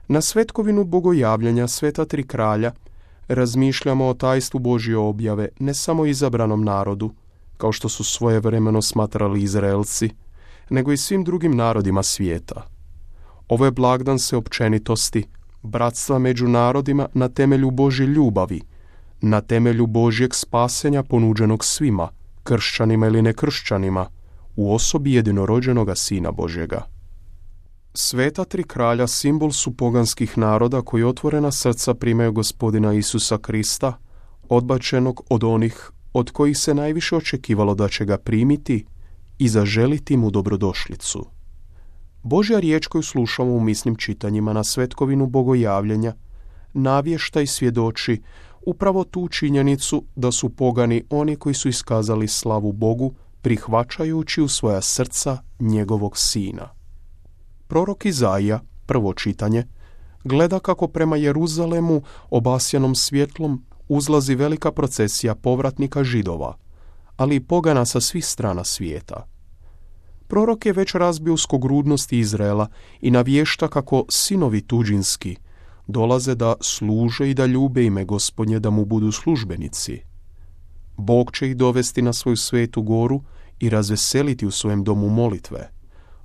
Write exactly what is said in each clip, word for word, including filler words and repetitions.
Na svetkovinu bogojavljenja Sveta tri kralja razmišljamo o tajstvu Božje objave ne samo izabranom narodu, kao što su svojevremeno smatrali Izraelci, nego i svim drugim narodima svijeta. Ovo je blagdan sveopćenitosti, bratstva među narodima na temelju Božje ljubavi, na temelju Božjeg spasenja ponuđenog svima, kršćanima ili nekršćanima, u osobi jedinorođenoga Sina Božjega. Sveta tri kralja simbol su poganskih naroda koji otvorena srca primaju Gospodina Isusa Krista, odbačenog od onih od kojih se najviše očekivalo da će ga primiti i zaželiti mu dobrodošlicu. Božja riječ koju slušamo u misnim čitanjima na svetkovinu bogojavljenja navješta i svjedoči upravo tu činjenicu da su pogani oni koji su iskazali slavu Bogu prihvaćajući u svoja srca njegovog Sina. Prorok Izaija, prvo čitanje, gleda kako prema Jeruzalemu obasjanom svjetlom uzlazi velika procesija povratnika Židova, ali i pogana sa svih strana svijeta. Prorok je već razbio uskogrudnosti Izraela i navješta kako sinovi tuđinski dolaze da služe i da ljube ime Gospodnje, da mu budu službenici. Bog će ih dovesti na svoju svetu goru i razveseliti u svojem domu molitve,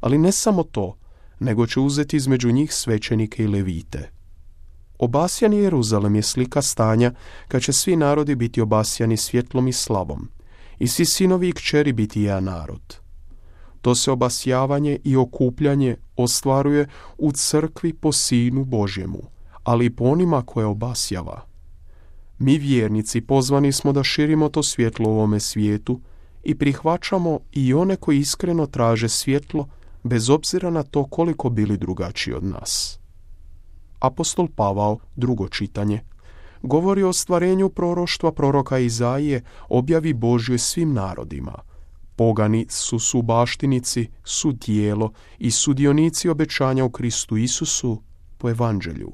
ali ne samo to, nego će uzeti između njih svećenike i levite. Obasjani Jeruzalem je slika stanja kad će svi narodi biti obasjani svjetlom i slavom i svi sinovi i kćeri biti jedan narod. To se obasjavanje i okupljanje ostvaruje u crkvi po Sinu Božjemu, ali i po onima koje obasjava. Mi vjernici pozvani smo da širimo to svjetlo u ovome svijetu i prihvaćamo i one koji iskreno traže svjetlo bez obzira na to koliko bili drugačiji od nas. Apostol Pavao, drugo čitanje, govori o stvarenju proroštva proroka Izaije, objavi Božjoj svim narodima. Pogani su subaštinici, su tijelo i sudionici obećanja u Kristu Isusu po evanđelju.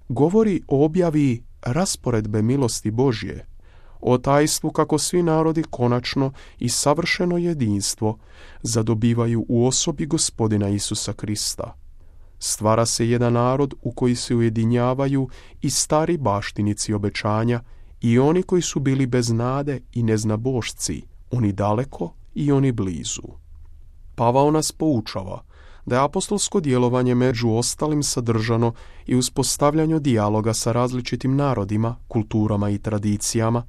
Govori o objavi rasporedbe milosti Božje, o tajstvu kako svi narodi konačno i savršeno jedinstvo zadobivaju u osobi Gospodina Isusa Krista. Stvara se jedan narod u koji se ujedinjavaju i stari baštinici obećanja i oni koji su bili bez nade i neznabošci, oni daleko i oni blizu. Pavao nas poučava da je apostolsko djelovanje među ostalim sadržano i uspostavljanju dijaloga sa različitim narodima, kulturama i tradicijama,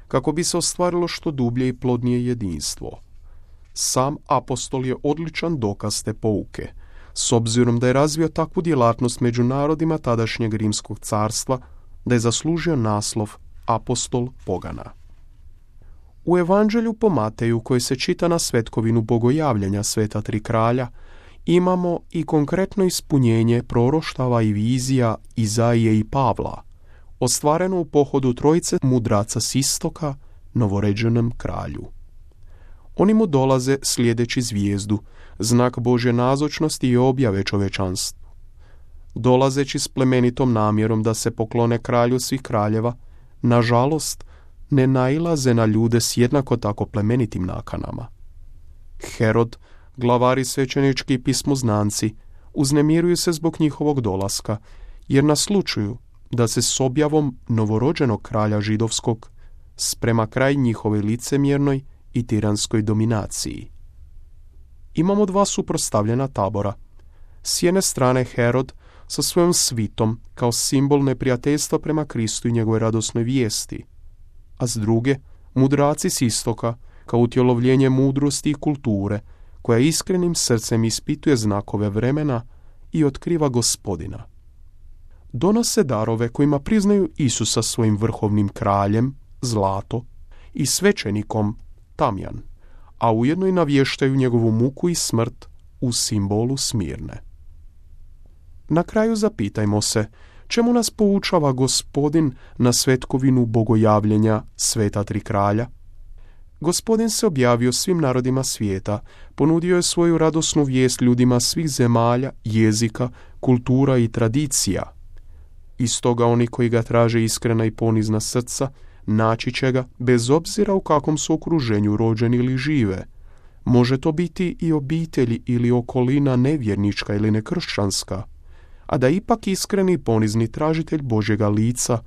kako bi se ostvarilo što dublje i plodnije jedinstvo. Sam apostol je odličan dokaz te pouke, s obzirom da je razvio takvu djelatnost među narodima tadašnjeg Rimskog carstva, da je zaslužio naslov apostol pogana. U evanđelju po Mateju, koji se čita na svetkovinu bogojavljenja Sveta tri kralja, imamo i konkretno ispunjenje proroštava i vizija Izaije i Pavla, ostvareno u pohodu trojice mudraca s istoka novoređenom kralju. Oni mu dolaze slijedeći zvijezdu, znak Božje nazočnosti i objave čovečanstvu. Dolazeći s plemenitom namjerom da se poklone kralju svih kraljeva, nažalost, ne nailaze na ljude s jednako tako plemenitim nakanama. Herod, glavari svećenički i pismoznanci, uznemiruju se zbog njihovog dolaska, jer naslučuju da se s objavom novorođenog kralja židovskog sprema kraj njihove licemjernoj i tiranskoj dominaciji. Imamo dva suprotstavljena tabora. S jedne strane Herod sa svojom svitom kao simbol neprijateljstva prema Kristu i njegove radosnoj vijesti, a s druge mudraci s istoka kao utjelovljenje mudrosti i kulture koja iskrenim srcem ispituje znakove vremena i otkriva Gospodina. Donose darove kojima priznaju Isusa svojim vrhovnim kraljem, zlato, i svećenikom, tamjan, a ujedno i navještaju njegovu muku i smrt u simbolu Smirne. Na kraju zapitajmo se, čemu nas poučava Gospodin na svetkovinu bogojavljenja Sveta tri kralja? Gospodin se objavio svim narodima svijeta, ponudio je svoju radosnu vijest ljudima svih zemalja, jezika, kultura i tradicija. I stoga oni koji ga traže iskrena i ponizna srca, naći će ga bez obzira u kakvom su okruženju rođeni ili žive. Može to biti i obitelji ili okolina nevjernička ili nekršćanska, a da ipak iskreni i ponizni tražitelj Božjega lica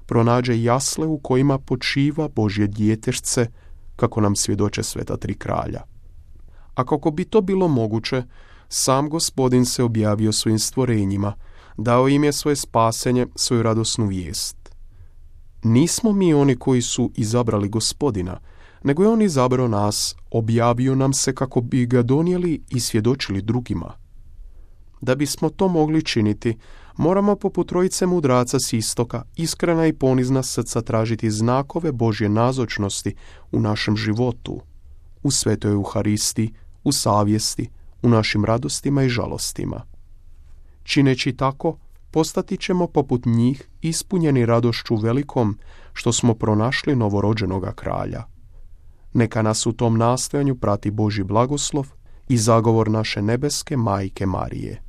pronađe jasle u kojima počiva Božje djetešce, kako nam svjedoče sveta tri kralja. A kako bi to bilo moguće, sam Gospodin se objavio svojim stvorenjima, dao im je svoje spasenje, svoju radosnu vijest. Nismo mi oni koji su izabrali Gospodina, nego je on izabrao nas, objavio nam se kako bi ga donijeli i svjedočili drugima. Da bismo to mogli činiti, moramo poput trojice mudraca s istoka, iskrena i ponizna srca tražiti znakove Božje nazočnosti u našem životu, u svetoj Euharisti, u savjesti, u našim radostima i žalostima. Čineći tako, postati ćemo poput njih ispunjeni radošću velikom što smo pronašli novorođenoga kralja. Neka nas u tom nastojanju prati Božji blagoslov i zagovor naše nebeske Majke Marije.